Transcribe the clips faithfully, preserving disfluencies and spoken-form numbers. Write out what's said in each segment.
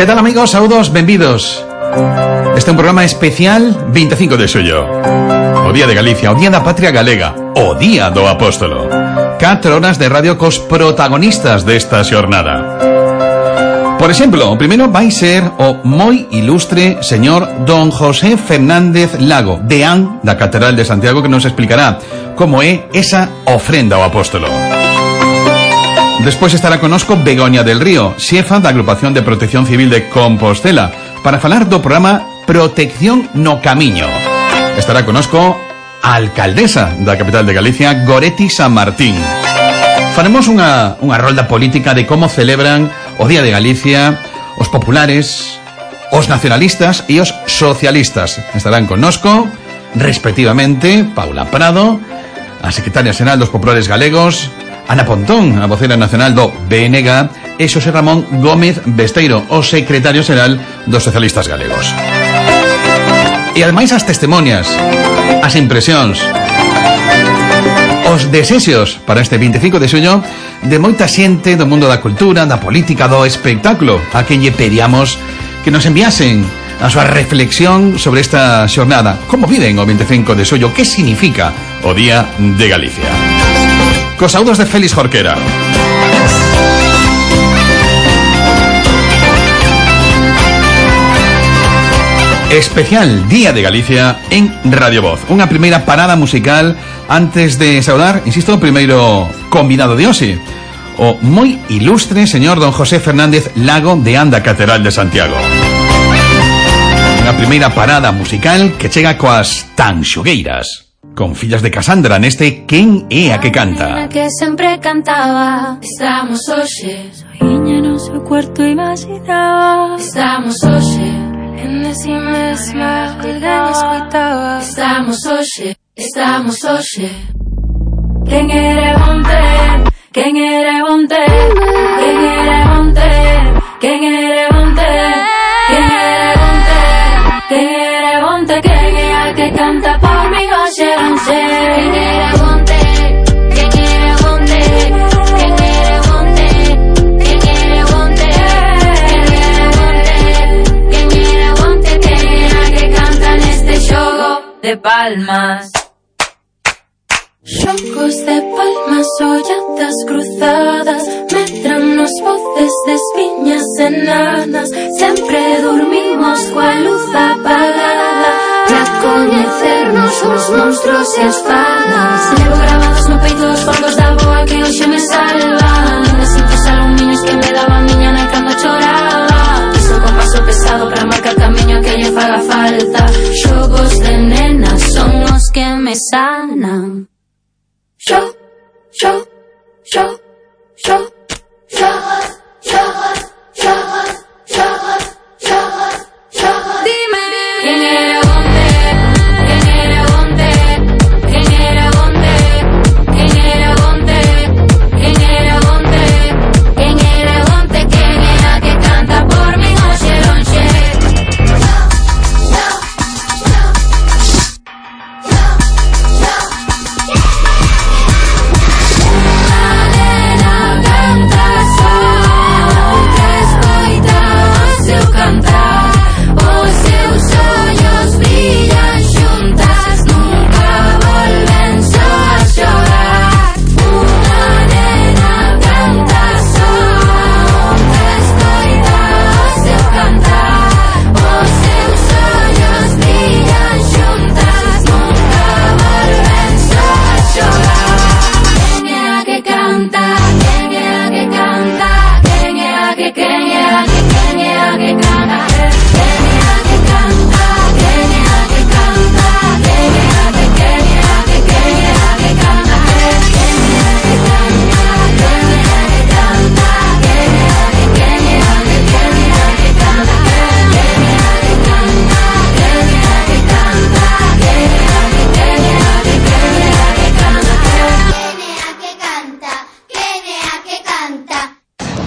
Que tal, amigos? Saúdos, benvidos. Este é un programa especial veinticinco de xullo, o Día de Galicia, o Día da Patria Galega, o Día do Apóstolo. Catro horas de radio cos protagonistas desta xornada. Por exemplo, o primeiro vai ser o moi ilustre señor don José Fernández Lago, deán da Catedral de Santiago, que nos explicará como é esa ofrenda ao Apóstolo. Despois estará conosco Begoña del Río, xefa da Agrupación de Protección Civil de Compostela, para falar do programa Protección no Camiño. Estará conosco a alcaldesa da capital de Galicia, Goretti San Martín. Faremos unha, unha rolda política de como celebran o Día de Galicia os populares, os nacionalistas e os socialistas. Estarán connosco, respectivamente, Paula Prado, a secretaria xeral dos populares galegos, Ana Pontón, a vocera nacional do B N G, e Xosé Ramón Gómez Besteiro, o secretario xeral dos socialistas galegos. E ademais as testimonias, as impresións, os desexos para este veinticinco de xullo de moita xente do mundo da cultura, da política, do espectáculo, a quen lle pedíamos que nos enviasen a súa reflexión sobre esta xornada. Como viven o veinticinco de xullo? Que significa o Día de Galicia? Cos saúdos de Félix Jorquera. Especial Día de Galicia en Radio Voz. Unha primeira parada musical antes de saudar, insisto, o primeiro convidado de hoxe, o moi ilustre señor don José Fernández Lago, deán da Catedral de Santiago. Unha primeira parada musical que chega coas Tanxugueiras, con Fillas de Casandra, neste Quen é a que canta. Que sempre cantaba. Estamos hoxe soiña no seu cuarto imaginaba. Estamos hoxe en si mesma alguén escoitaba. Estamos hoxe, estamos hoxe. Quen era onte, quen era onte, quen era onte, quen era onte, quen era onte, quen era onte, quen é a que canta por mi hoxe non sei. Quen era onte, quen era onte, quen era onte, quen era onte, quen era onte, quen era onte, quen é a que canta neste xogo de palmas. Xogos de palmas, olladas cruzadas, medran nos voces das viñas enanas. Sempre dormimos coa luz apagada pra coñecernos os monstruos e as fadas. Levo grabados no peito os fondos da boa que hoxe me salvan. Ainda sinto os alumiños que me daba a miña nai cando choraba. Iso con paso pesado pra marcar camiño que lle faga falta. Xogos de nenas son os que me sanan. Yo, yo, yo, yo, xogos, xogos, xogos, xogos, xogos, xogos. Dime, quen era onte, quen era onte, quen era onte, quen era onte, quen era onte, quen era onte, quen é a que canta por min hoxe lonxe.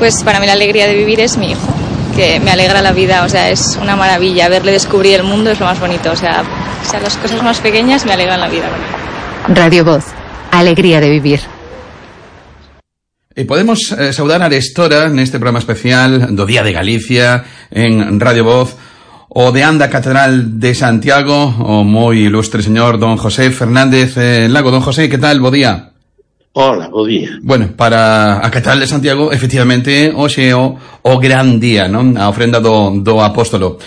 Pues para mí la alegría de vivir es mi hijo, que me alegra la vida, o sea, es una maravilla. Verle descubrir el mundo es lo más bonito, o sea, o sea las cosas más pequeñas me alegran la vida. Radio Voz, alegría de vivir. E podemos eh, saudar a Arestora neste programa especial do Día de Galicia en Radio Voz, o de Anda Catedral de Santiago, o moi ilustre señor don José Fernández eh, Lago. Don José, que tal? Bo día. Hola, bo día. Bueno, para a Catedral de Santiago, efectivamente, hoxe o, o gran día, non? A ofrenda do, do apóstolo.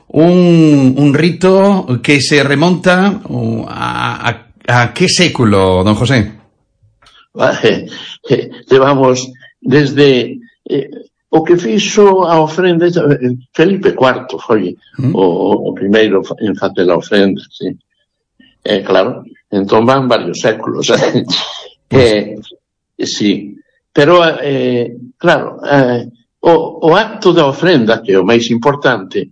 Un, un rito que se remonta a, a, a que século, don José? Vale, eh, levamos desde eh, o que fixo a ofrenda Felipe cuarto, foi ¿Mm? o, o primeiro en facer a ofrenda, sí. Eh, claro, entón van varios séculos. Eh, sí, pero eh, claro, eh, o, o acto da ofrenda, que é o máis importante,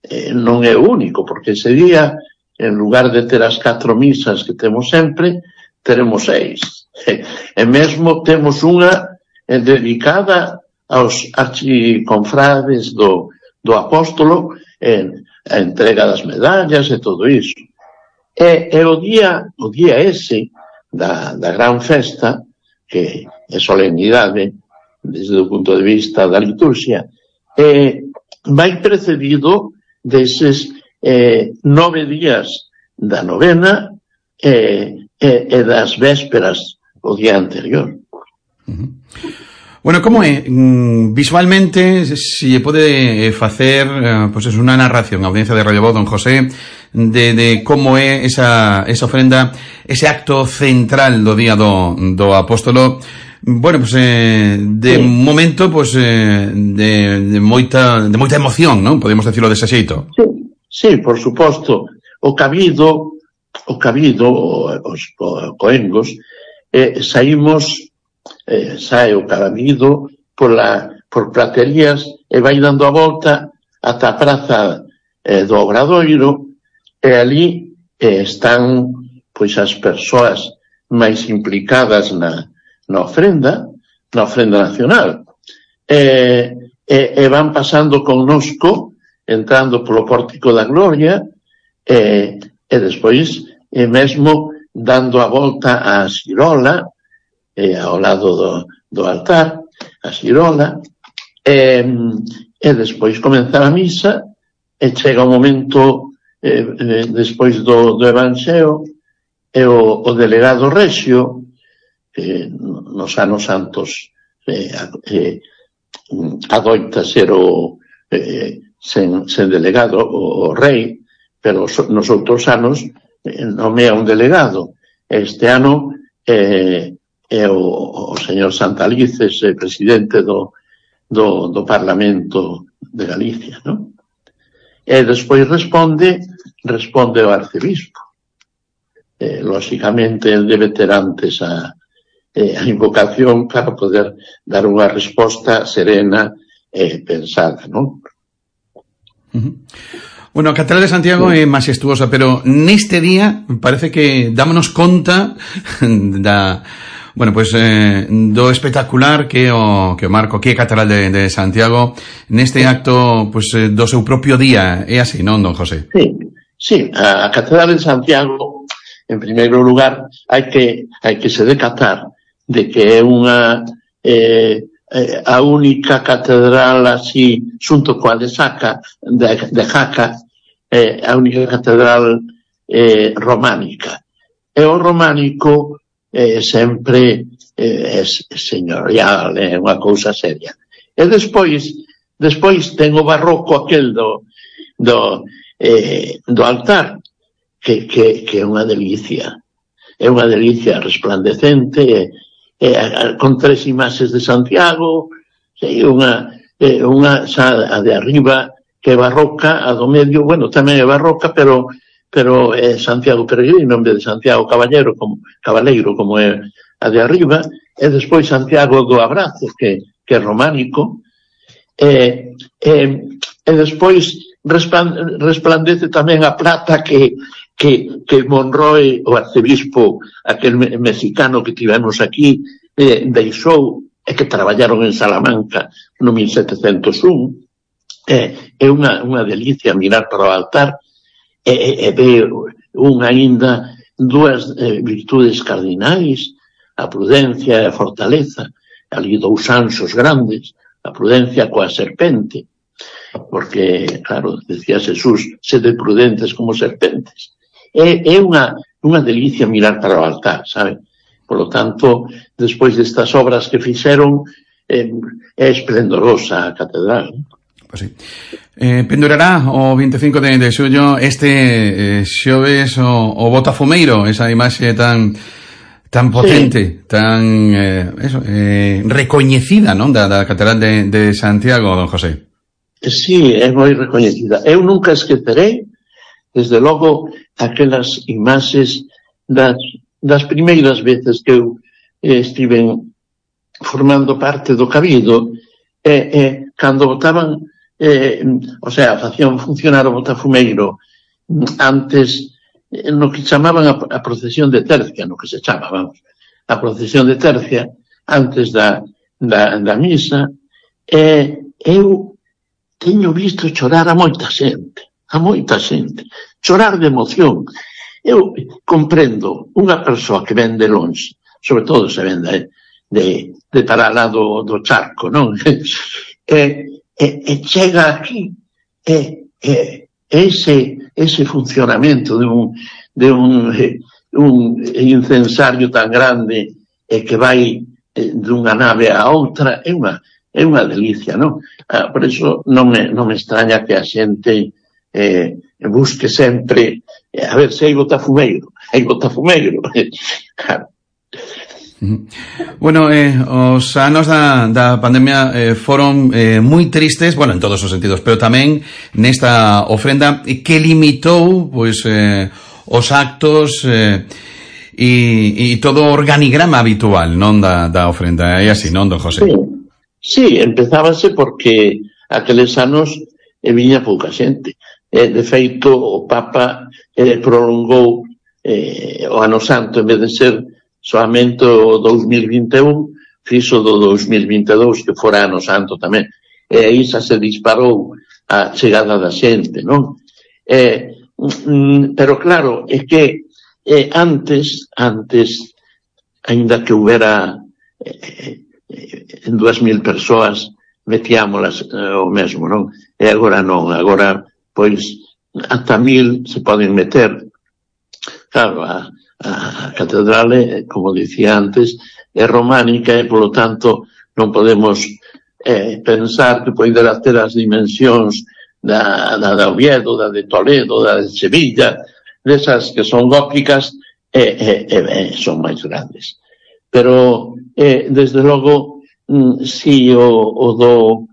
eh, non é o único, porque ese día, en lugar de ter as catro misas que temos sempre, teremos seis. E, e mesmo temos unha eh, dedicada aos archiconfrades do, do apóstolo, en a entrega das medallas e todo iso. E, e o día, o día ese, Da, da gran festa, que é solemnidade desde o punto de vista da liturgia, eh, vai precedido deses eh, nove días da novena eh, e, e das vésperas o día anterior. Uh-huh. Bueno, como é? Visualmente, si pode facer pues es unha narración a audiencia de Radio Voz, don José, de, de como é esa, esa ofrenda, ese acto central do día do, do apóstolo. Bueno, pues eh, de sí. momento, pues eh, de, de moita de moita emoción, non? Podemos decirlo dese xeito. Sí, sí, por suposto. O cabido, o cabido, os coengos, eh, saímos Eh, sae o cabido por, la, por praterías e vai dando a volta ata a praza eh, do Obradoiro, e ali eh, están pois as persoas máis implicadas na, na ofrenda, na ofrenda nacional, e, e, e van pasando connosco, entrando polo Pórtico da Gloria, e, e despois e mesmo dando a volta á Xirola, Eh, ao lado do, do altar, a xirola, e, e despois comenzar a misa, e chega o momento eh, eh, despois do, do Evanxeo, e o, o delegado Rexio, que nos anos santos eh, eh, adoita ser o eh, sen, sen delegado o, o rei, pero nos outros anos eh, nomea un delegado. Este ano eh, é o, o señor Santalices, eh, presidente do, do, do Parlamento de Galicia, non? E despois responde, responde o arcebispo. Eh, lógicamente, ele debe ter antes a, eh, a invocación para poder dar unha resposta serena e pensada, non? Uh-huh. Bueno, a Catedral de Santiago é majestuosa, pero neste día parece que dámonos conta da... Bueno, pues eh, do espectacular que o que o marco que é Catedral de, de Santiago neste acto pues eh, do seu propio día, é así, non, don José? Sí, sí, a Catedral de Santiago, en primeiro lugar, hai que hai que se decatar de que é unha eh, eh, a única catedral así xunto coa de Saca, de, de Jaca, eh, a única catedral eh, románica. E o románico Eh, sempre eh, é señorial, é unha cousa seria. E despois, despois ten o barroco aquel do, do, eh, do altar, que, que, que é unha delicia. É unha delicia resplandecente, eh, con tres imaxes de Santiago, sí, unha, eh, unha xa a de arriba que é barroca, a do medio, bueno, tamén é barroca, pero pero é Santiago Peregrino en vez de Santiago Caballero, como, Cabaleiro, como é a de arriba, e despois Santiago do Abrazo, que, que é románico, e, e, e despois resplandece tamén a plata que, que, que Monroe, o arcebispo, aquel mexicano que tivemos aquí, eh, deixou, e que traballaron en Salamanca no mil setecentos un, é, é unha, unha delicia mirar para o altar, e, e, e ver un aínda dúas eh, virtudes cardinais, a prudencia e a fortaleza, ali dous anxos grandes, a prudencia coa serpente, porque, claro, decía Jesús, sede prudentes como serpentes. É, é unha, unha delicia mirar para o altar, sabe? Por lo tanto, despois destas obras que fixeron, eh, é esplendorosa a catedral. Pois sí. Eh, pendurará o vinte e cinco de, de xullo este eh, xoves o, o Botafumeiro, esa imaxe tan tan potente, sí. tan eh, eso, eh, recoñecida, non, da, da Catedral de, de Santiago, don José. Sí, é moi recoñecida. Eu nunca esquecerei, desde logo, aquelas imaxes das, das primeiras veces que eu eh, estiven formando parte do Cabildo, e eh, eh, cando botaban, eh, o sea, facían funcionar o Botafumeiro antes, eh, no que chamaban a, a procesión de tercia, no que se chama, vamos, a procesión de tercia, antes da, da, da misa, e eh, eu teño visto chorar a moita xente, a moita xente, chorar de emoción. Eu comprendo unha persoa que ven de longe, sobre todo se ven de, de, de para lá do, do charco, non? E, e, e chega aquí, e, e ese, ese funcionamento de un, de un, un incensario tan grande e que vai dunha nave a outra, é unha é unha delicia, non? Ah, por iso non me, non me extraña que a xente eh, busque sempre, eh, a ver se hai Botafumeiro, hai Botafumeiro. Claro. Bueno, eh, os anos da, da pandemia eh, foron eh, moi tristes, bueno, en todos os sentidos, pero tamén nesta ofrenda que limitou, pois, eh, os actos eh, e, e todo o organigrama habitual, non, da, da ofrenda. É así, non, don José? Sí. Sí, empezábase porque aqueles anos e viña pouca xente. Eh, de feito, o Papa eh, prolongou eh, o ano santo, en vez de ser solamente o dos mil vinte e un, fixo do dos mil vinte e dous, que fora ano santo tamén. E aí xa se disparou a chegada da xente, non? Eh, mm, pero claro, é que eh, antes, antes, ainda que houbera eh, en dúas mil persoas metíamolas eh, o mesmo, non? E agora non, agora pois ata mil se poden meter. Claro, a, a catedral, como dicía antes, é románica e, polo tanto, non podemos eh, pensar que poderá ter as dimensións da, da, da Oviedo, da de Toledo, da de Sevilla, desas que son góticas e, e, e, e son máis grandes. Pero, eh, desde logo, mm, si o, o, do,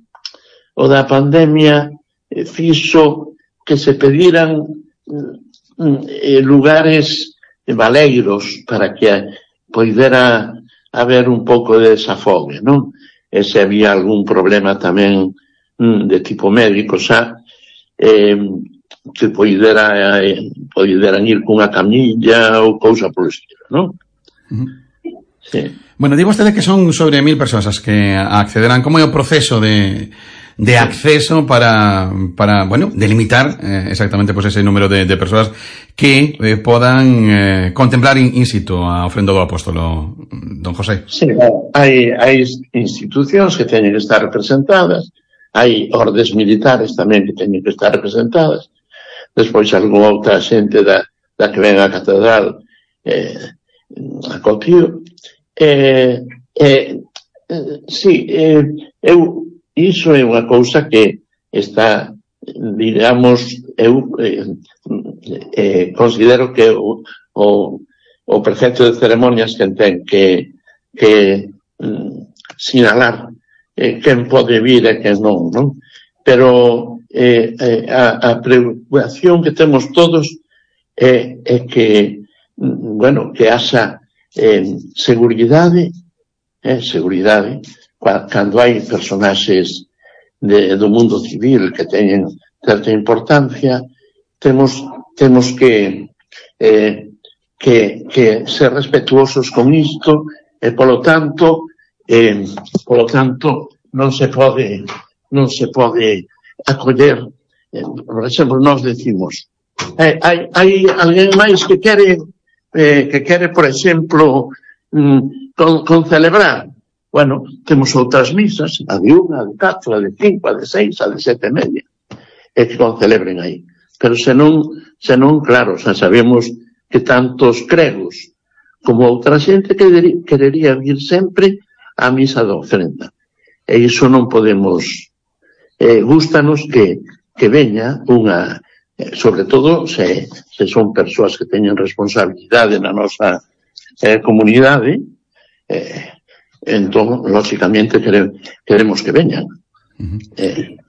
o da pandemia eh, fixo que se pediran mm, eh, lugares valeiros para que poidera haber un pouco de desafogue, non? E se había algún problema tamén mm, de tipo médico, xa, eh, que poidera, eh, poideran ir cunha camilla ou cousa polo estilo, non? Uh-huh. Sí. Bueno, digo usted que son sobre mil persoas as que accederán. Como é o proceso de, de acceso para, para, bueno, delimitar eh, exactamente pues, ese número de, de persoas que eh, podan eh, contemplar in, in situ a ofrenda do apóstolo, don José? Sí, hai, hai institucións que teñen que estar representadas, hai ordes militares tamén que teñen que estar representadas, despois algunha outra xente da, da que ven a catedral eh, a Cotío. Eh, eh, eh, sí, eh, eu, iso é unha cousa que está, digamos, eu eh, eh, considero que o, o, o prefecto de ceremonias que ten que, que mm, sinalar eh, quen pode vir e quen non, non? Pero eh, eh, a, a preocupación que temos todos é eh, eh, que, mm, bueno, que haxa Eh, seguridade, eh, seguridade, cando hai personaxes de, do mundo civil que teñen certa importancia, temos, temos que, eh, que, que ser respetuosos con isto e, polo tanto, eh, polo tanto, non se pode, non se pode acoller, eh, por exemplo, nós decimos, eh, hai, hai alguén máis que quere Eh, que quere, por exemplo, mm, con, con celebrar. Bueno, temos outras misas, a de unha, a de catro, a de cinco, a de seis, a de sete e media, e que concelebren aí. Pero senón, senón, claro, xa sabemos que tantos cregos como outra xente que querería vir sempre á misa da ofrenda. E iso non podemos... Eh, gústanos que, que veña unha... Eh, sobre todo, se, se son persoas que teñen responsabilidade na nosa eh, comunidade, eh, entón, lógicamente, quere, queremos que veñan. Uh-huh. Eh,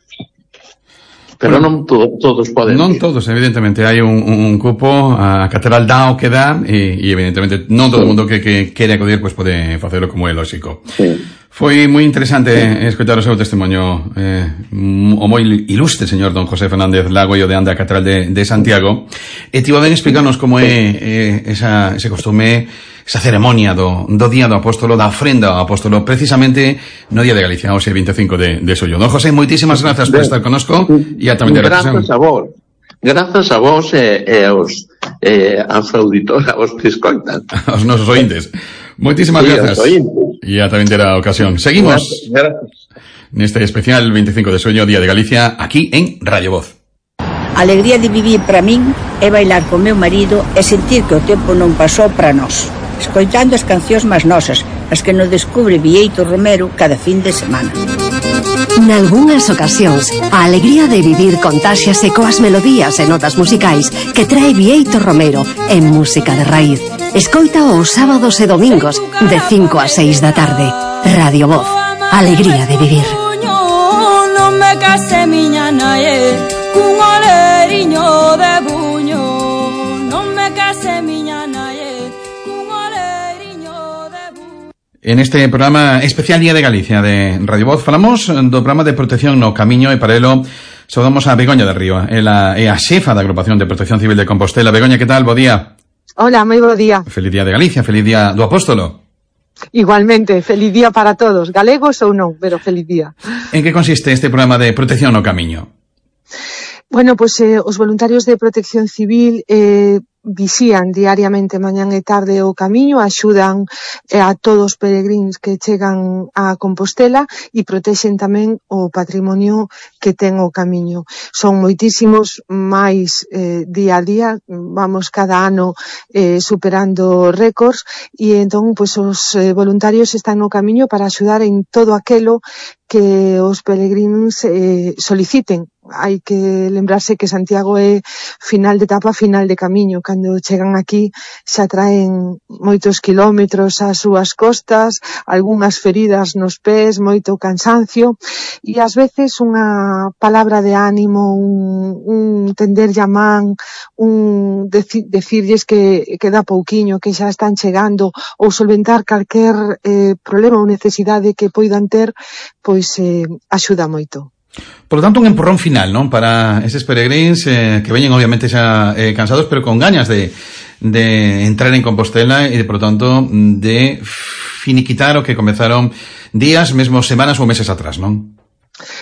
pero non to, todos poden... Non todos, evidentemente. Hai un, un cupo, a catedral dá o que dá, e, e evidentemente non todo o mundo que, que quere acudir pues pode facelo, como é lógico. Sí. Foi moi interesante escoitar o seu testemunho, eh, o moi ilustre señor don José Fernández Lago e o de Anda a Catedral de, de Santiago, e tivo ben explicarnos como é eh, esa, ese costume, esa ceremonia do, do Día do Apóstolo, da ofrenda ao Apóstolo, precisamente no Día de Galicia, hoxe veinticinco de, de xullo. Don José, moitísimas grazas por estar conosco e a tamén de reflexión. Grazas a vos, grazas a vos e, e aos, e, aos auditores, aos que escoitan. Aos nosos ointes. Moitísimas sí, grazas. E a tamén terá ocasión. Seguimos gracias. Neste especial veinticinco de xullo, Día de Galicia, aquí en Radio Voz. A alegría de vivir para min é bailar co meu marido e sentir que o tempo non pasou para nós, escoitando as cancións máis nosas, as que nos descubre Bieito Romero cada fin de semana. Nalgúnas ocasións, a alegría de vivir contáxiase coas melodías e notas musicais que trae Bieito Romero en Música de Raíz. Escoita os sábados e domingos de cinco a seis da tarde. Radio Voz, alegría de vivir. Non me case miña nae cun oleriño de buño. Non me case miña nae cun oleriño de buño. En este programa especial Día de Galicia de Radio Voz falamos do programa de protección no camiño, e para elo saudamos a Begoña de Río, ela é a xefa da Agrupación de Protección Civil de Compostela. Begoña, que tal? Bo día. Hola, moi bo día. Feliz Día de Galicia, feliz Día do Apóstolo. Igualmente, feliz día para todos, galegos ou non, pero feliz día. En que consiste este programa de protección no camiño? Bueno, pois pues, eh, os voluntarios de protección civil eh, visían diariamente mañán e tarde o camiño, axudan eh, a todos os peregríns que chegan a Compostela e protexen tamén o patrimonio que ten o camiño. Son moitísimos máis eh, día a día, vamos cada ano eh, superando récords, e entón pois, os eh, voluntarios están no camiño para axudar en todo aquelo que os peregrinos eh, soliciten. Hai que lembrarse que Santiago é final de etapa, final de camiño. Cando chegan aquí xa traen moitos kilómetros ás súas costas, algunhas feridas nos pés, moito cansancio, e ás veces unha palabra de ánimo, un, un tenderlle a man, un deci, decirlles que, que dá pouquiño, que xa están chegando, ou solventar calquer eh, problema ou necesidade que poidan ter, pois eh, axuda moito. Por lo tanto, un empurrón final, non? Para eses peregríns eh, que veñen obviamente xa eh, cansados, pero con gañas de, de entrar en Compostela e, por lo tanto, de finiquitar o que comezaron días, mesmo semanas ou meses atrás, non?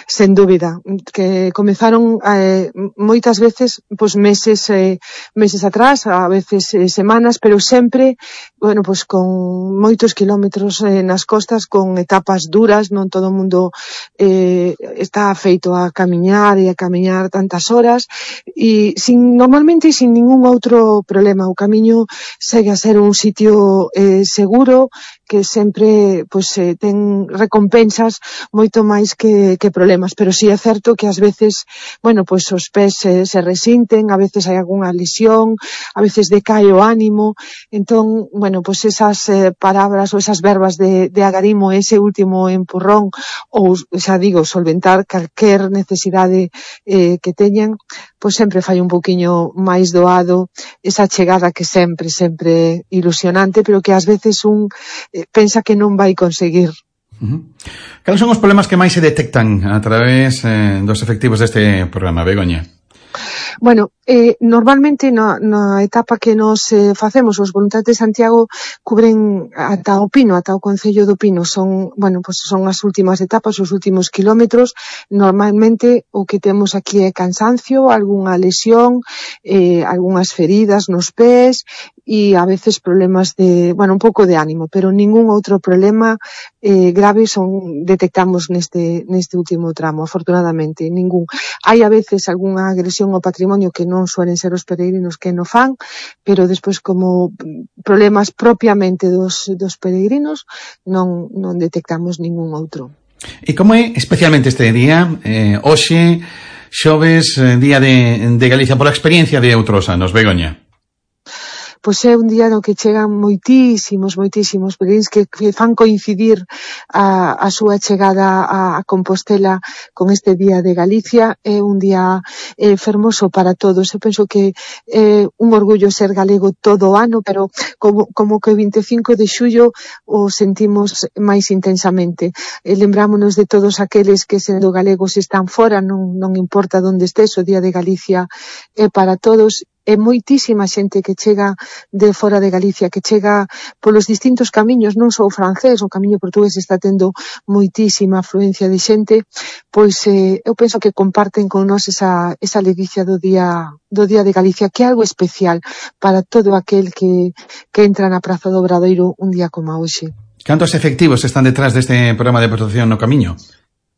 Sen dúbida, que comezaron eh, moitas veces, pois meses eh, meses atrás, a veces eh, semanas, pero sempre, bueno, pois con moitos kilómetros eh, nas costas, con etapas duras, non todo o mundo eh, está feito a camiñar e a camiñar tantas horas, e sin, normalmente sin ningún outro problema. O camiño segue a ser un sitio eh, seguro, que sempre pois eh, ten recompensas moito máis que, que problemas, pero sí é certo que ás veces, bueno, pois os pés eh, se resinten, a veces hai algunha lesión, a veces decae o ánimo, entón, bueno, pois esas eh, palabras ou esas verbas de, de agarimo, ese último empurrón, ou, xa digo, solventar calquer necesidade eh, que teñan, pois sempre fai un pouquiño máis doado esa chegada que sempre, sempre ilusionante, pero que ás veces un eh, pensa que non vai conseguir. Uh-huh. Cales son os problemas que máis se detectan a través eh, dos efectivos deste programa, Begoña? Bueno, eh, normalmente na, na etapa que nos eh, facemos os voluntarios de Santiago cubren ata o Pino, ata o Concello do Pino. Son, bueno, pues son as últimas etapas, os últimos kilómetros. Normalmente o que temos aquí é cansancio, algunha lesión, eh, algunhas feridas nos pés e a veces problemas de, bueno, un pouco de ánimo, pero ningún outro problema eh, grave son detectamos neste neste último tramo, afortunadamente, ningún. Hai a veces algunha agresión ao patrimonio que non suelen ser os peregrinos que no fan, pero despois como problemas propiamente dos, dos peregrinos non, non detectamos ningún outro. E como é especialmente este día, eh, hoxe, xoves, eh, día de, de Galicia, pola experiencia de outros anos, Begoña? Pois é un día no que chegan moitísimos, moitísimos peregrinos que, que fan coincidir a, a súa chegada a, a Compostela con este día de Galicia. É un día eh, fermoso para todos. Eu penso que é eh, un orgullo ser galego todo o ano, pero como, como que o vinte e cinco de xullo o sentimos máis intensamente. Eh, lembrámonos de todos aqueles que sendo galegos están fora, non, non importa onde estés, o día de Galicia é para todos. É moitísima xente que chega de fora de Galicia, que chega polos distintos camiños, non só o francés, o camiño portugués está tendo moitísima afluencia de xente, pois eh, eu penso que comparten con nós esa, esa ledicia do día, do día de Galicia, que é algo especial para todo aquel que, que entra na Praza do Obradoiro un día como hoxe. Cantos efectivos están detrás deste programa de protección no camiño?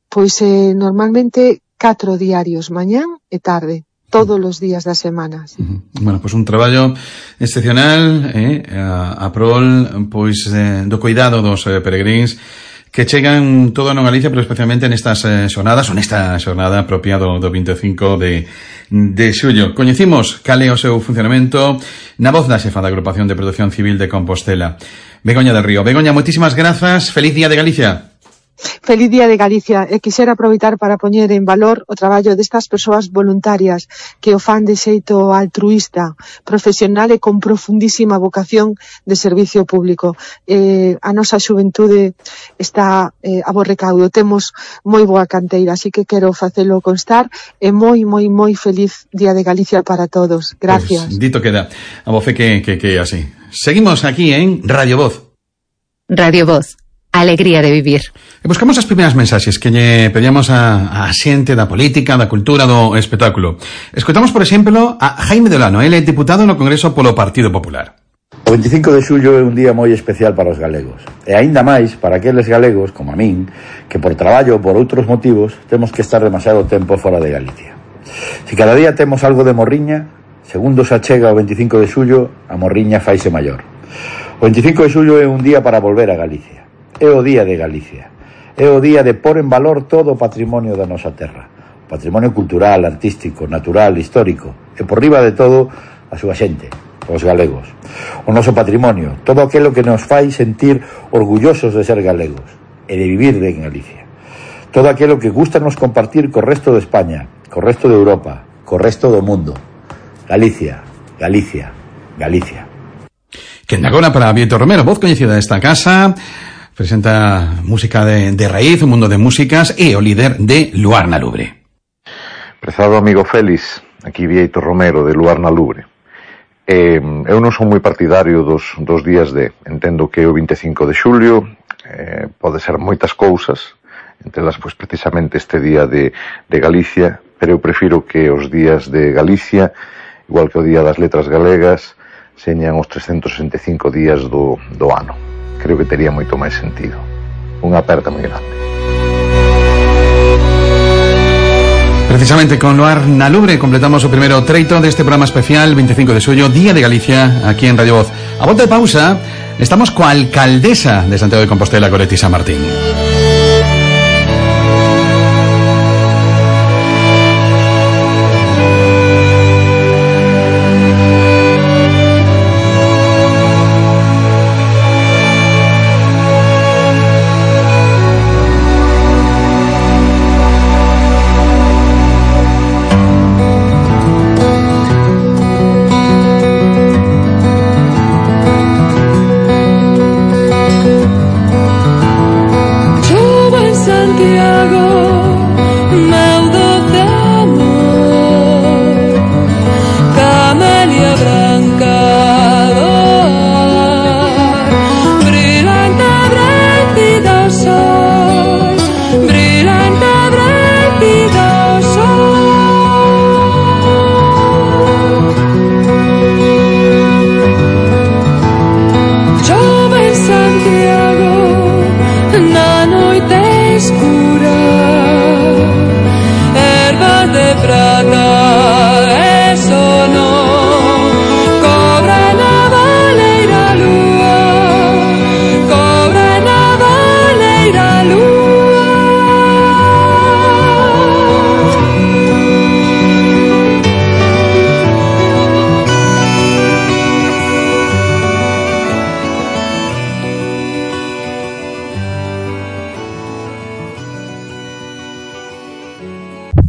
Pois eh, normalmente catro diarios, mañán e tarde. Todos os días das semanas. Uh-huh. Bueno, pois pues un traballo excepcional eh, a, a prol pois eh, do cuidado dos eh, peregrins que chegan todo no Galicia, pero especialmente nestas eh, xornadas, ou nesta xornada propia do, do vinte e cinco de, de xullo. Coñecimos cal é o seu funcionamento na voz da xefa da Agrupación de Protección Civil de Compostela, Begoña del Río. Begoña, moitísimas grazas, feliz día de Galicia. Feliz día de Galicia, e quixera aproveitar para poñer en valor o traballo destas persoas voluntarias que o fan de xeito altruista, profesional e con profundísima vocación de servicio público. Eh, a nosa xuventude está eh, a bo recaudo, temos moi boa canteira, así que quero facelo constar, e moi, moi, moi feliz día de Galicia para todos. Gracias. Pues, dito queda, a voce que, que, que así. Seguimos aquí en Radio Voz. Radio Voz. Alegría de vivir. E buscamos as primeiras mensaxes que lle pedíamos a, a xente da política, da cultura, do espectáculo. Escoitamos, por exemplo, a Jaime Delano, ele é diputado no Congreso polo Partido Popular. O vinte e cinco de xullo é un día moi especial para os galegos. E aínda máis para aqueles galegos, como a min, que por traballo ou por outros motivos temos que estar demasiado tempo fora de Galicia. Se cada día temos algo de morriña, segundo se achega o vinte e cinco de xullo, a morriña faise maior. O vinte e cinco de xullo é un día para volver a Galicia. É o día de Galicia. É o día de pôr en valor todo o patrimonio da nosa terra. O patrimonio cultural, artístico, natural, histórico. E por riba de todo, a súa xente, os galegos. O noso patrimonio, todo aquilo que nos fai sentir orgullosos de ser galegos e de vivir en Galicia. Todo aquilo que gusta nos compartir co resto de España, co resto de Europa, co resto do mundo. Galicia, Galicia, Galicia. Que agora para Víctor Romero, voz coñecida desta casa, presenta música de, de raíz, un mundo de músicas, e o líder de Luar na Lubre. Prezado amigo Félix, aquí Víctor Romero de Luar na Lubre. Eh, eu non son moi partidario dos, dos días de, entendo que o vinte e cinco de xulio eh, pode ser moitas cousas, entre elas pois precisamente este día de, de Galicia, pero eu prefiro que os días de Galicia, igual que o día das letras galegas, señan os trescentos sesenta e cinco días do, do ano. Creo que tería moito máis sentido. Unha aperta moi grande. Precisamente con Luar na Lubre completamos o primeiro treito deste programa especial vinte e cinco de xullo, Día de Galicia, aquí en Radio Voz. A volta de pausa, estamos coa alcaldesa de Santiago de Compostela, Goretti San Martín.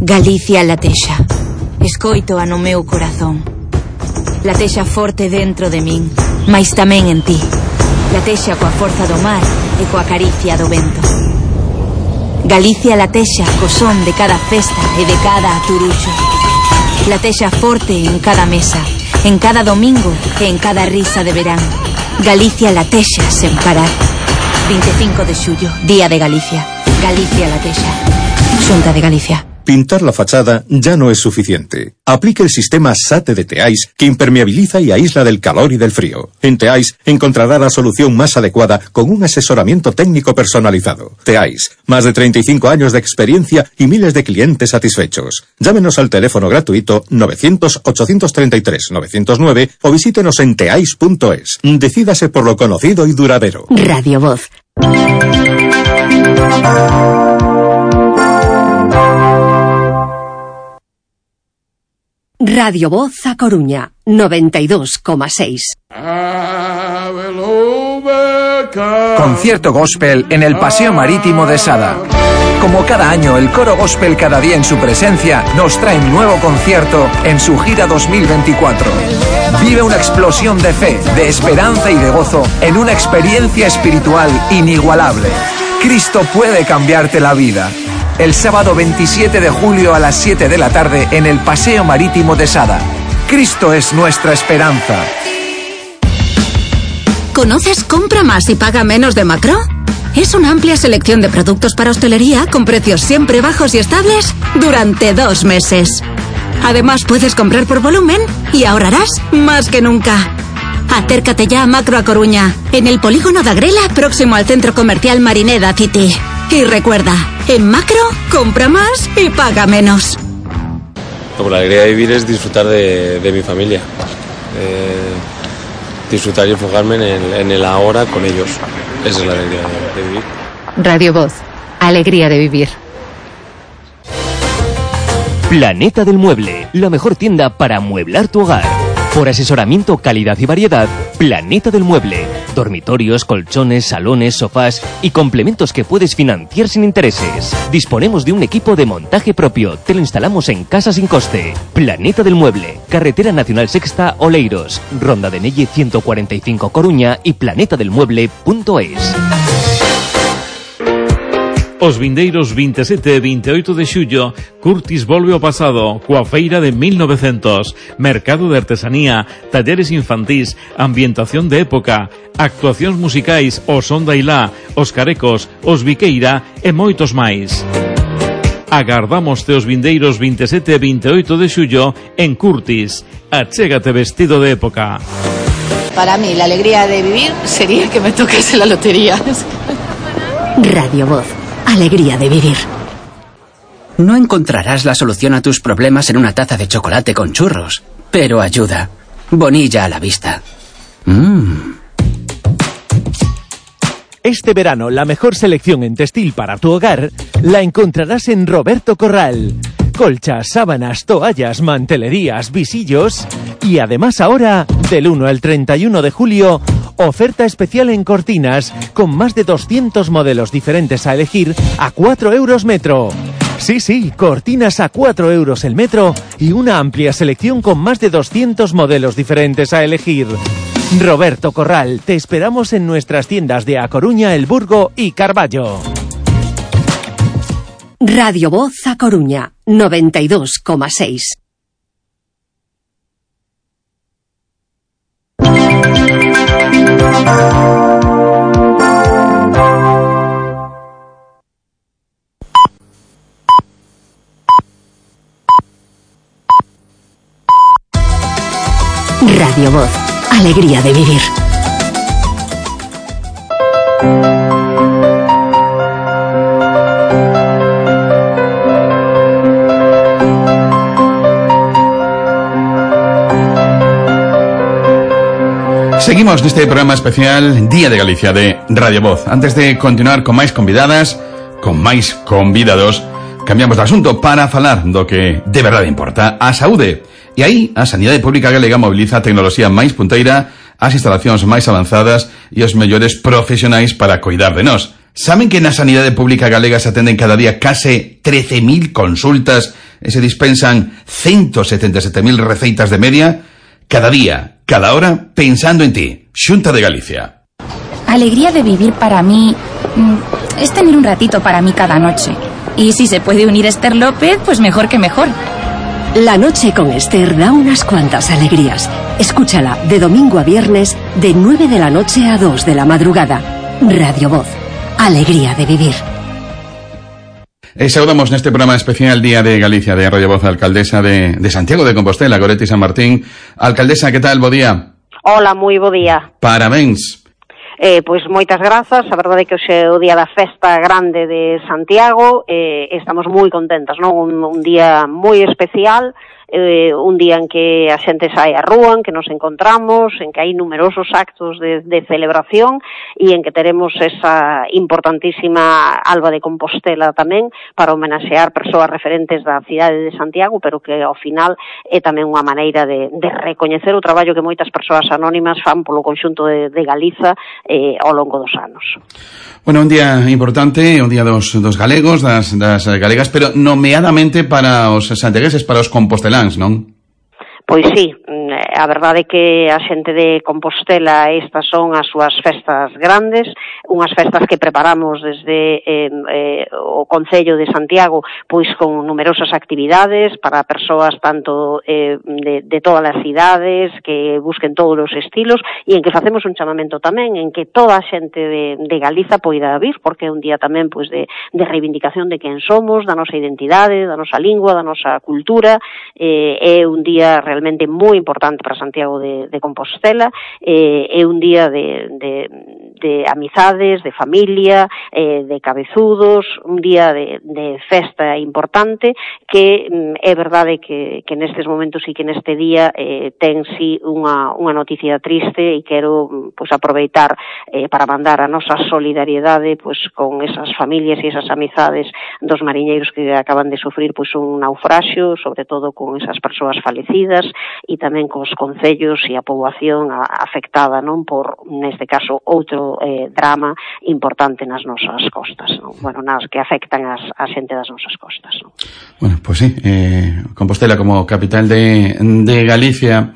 Galicia latexa. Escoito a no meu corazón. Latexa forte dentro de min, mais tamén en ti. Latexa coa forza do mar e coa caricia do vento. Galicia latexa co son de cada festa e de cada aturuxo. Latexa forte en cada mesa, en cada domingo e en cada risa de verán. Galicia latexa sen parar. vinte e cinco de xullo, Día de Galicia. Galicia latexa. Xunta de Galicia. Pintar la fachada ya no es suficiente. Aplique el sistema SATE de Teais, que impermeabiliza y aísla del calor y del frío. En Teais encontrará la solución más adecuada con un asesoramiento técnico personalizado. Teais, más de treinta y cinco años de experiencia y miles de clientes satisfechos. Llámenos al teléfono gratuito novecientos, ochocientos treinta y tres, novecientos nueve o visítenos en teais punto es. Decídase por lo conocido y duradero. Radio Voz. Radio Voz a Coruña, noventa y dos coma seis. Concierto gospel en el Paseo Marítimo de Sada. Como cada año, el coro gospel Cada Día en su presencia nos trae un nuevo concierto en su gira dos mil veinticuatro. Vive una explosión de fe, de esperanza y de gozo en una experiencia espiritual inigualable. Cristo puede cambiarte la vida. El sábado veintisiete de julio a las siete de la tarde en el Paseo Marítimo de Sada. Cristo es nuestra esperanza. ¿Conoces Compra Más y Paga Menos de Macro? Es una amplia selección de productos para hostelería con precios siempre bajos y estables durante dos meses. Además puedes comprar por volumen y ahorrarás más que nunca. Acércate ya a Macro a Coruña, en el polígono de Agrela, próximo al centro comercial Marineda City. Y recuerda, en Macro, compra más y paga menos. La alegría de vivir es disfrutar de, de mi familia. Eh, disfrutar y enfocarme en el, en el ahora con ellos. Esa es la alegría de, de vivir. Radio Voz. Alegría de vivir. Planeta del Mueble, la mejor tienda para amueblar tu hogar. Por asesoramiento, calidad y variedad, Planeta del Mueble. Dormitorios, colchones, salones, sofás y complementos que puedes financiar sin intereses. Disponemos de un equipo de montaje propio. Te lo instalamos en casa sin coste. Planeta del Mueble. Carretera Nacional Sexta, Oleiros. Ronda de Nelle ciento cuarenta y cinco Coruña y planeta del mueble punto es. Os vindeiros vinte e sete e vinte e oito de xullo, Curtis volve ao pasado, coa feira de mil novecientos, mercado de artesanía, talleres infantís, ambientación de época, actuacións musicais, o Son da Ilá, os Carecos, os Viqueira e moitos máis. Agardamos os vindeiros vinte e sete e vinte e oito de xullo en Curtis. Achégate vestido de época. Para mí, la alegría de vivir sería que me tocase la lotería. Radio Voz. Alegría de vivir. No encontrarás la solución a tus problemas en una taza de chocolate con churros, pero ayuda. Bonilla a la vista. Mmm. Este verano, la mejor selección en textil para tu hogar la encontrarás en Roberto Corral. Colchas, sábanas, toallas, mantelerías, visillos y además ahora, del uno al treinta y uno de julio, oferta especial en cortinas con más de doscientos modelos diferentes a elegir a cuatro euros metro. Sí, sí, cortinas a cuatro euros el metro y una amplia selección con más de doscientos modelos diferentes a elegir. Roberto Corral, te esperamos en nuestras tiendas de A Coruña, El Burgo y Carballo. Radio Voz a Coruña, noventa y dos coma seis. Radio Voz, alegría de vivir. Seguimos neste programa especial Día de Galicia de Radio Voz. Antes de continuar con máis convidadas, con máis convidados, cambiamos de asunto para falar do que de verdade importa, a saúde. E aí, a Sanidade Pública Galega mobiliza a tecnoloxía máis punteira, as instalacións máis avanzadas e os mellores profesionais para coidar de nós. Saben que na Sanidade Pública Galega se atenden cada día case trece mil consultas e se dispensan ciento setenta e sete mil receitas de media cada día, cada hora, pensando en ti. Xunta de Galicia. Alegría de vivir para mí es tener un ratito para mí cada noche. Y si se puede unir Esther López, pues mejor que mejor. La noche con Esther da unas cuantas alegrías. Escúchala de domingo a viernes de nueve de la noche a dos de la madrugada. Radio Voz. Alegría de vivir. E saudamos neste programa especial Día de Galicia de Radio Voz a alcaldesa de, de Santiago de Compostela, Goretti San Martín. Alcaldesa, que tal? Bo día. Hola, moi bo día. Parabéns. Eh, pois moitas grazas, a verdade é que hoxe é o día da festa grande de Santiago, eh, estamos moi contentas, non? Un, un día moi especial, eh, un día en que a xente sai á rúa, en que nos encontramos, en que hai numerosos actos de, de celebración e en que teremos esa importantísima Alba de Compostela tamén para homenaxear persoas referentes da cidade de Santiago, pero que ao final é tamén unha maneira de, de recoñecer o traballo que moitas persoas anónimas fan polo conxunto de, de Galiza eh, ao longo dos anos. Bueno, un día importante, un día dos, dos galegos, das, das galegas, pero nomeadamente para os santiagueses, para os composteláns, non? Pois sí, a verdade é que a xente de Compostela estas son as súas festas grandes, unhas festas que preparamos desde eh, eh, o Concello de Santiago, pois con numerosas actividades para persoas tanto eh, de, de todas as cidades que busquen todos os estilos e en que facemos un chamamento tamén en que toda a xente de, de Galiza poida vir, porque é un día tamén pois de, de reivindicación de quen somos, da nosa identidade, da nosa lingua, da nosa cultura, eh, é un día realmente realmente moi importante para Santiago de, de Compostela, eh, é un día de, de, de amizades, de familia, eh, de cabezudos, un día de, de festa importante que mm, é verdade que, que nestes momentos e que neste día eh, ten sí unha, unha noticia triste e quero pues, aproveitar eh, para mandar a nosa solidariedade pues, con esas familias e esas amizades dos mariñeiros que acaban de sufrir pues, un naufraxio, sobre todo con esas persoas falecidas e tamén cos concellos e a poboación afectada, non, por, neste caso, outro eh, drama importante nas nosas costas, non? Bueno, nas que afectan as, a xente das nosas costas, non? Bueno, pues sí, eh, Compostela como capital de, de Galicia.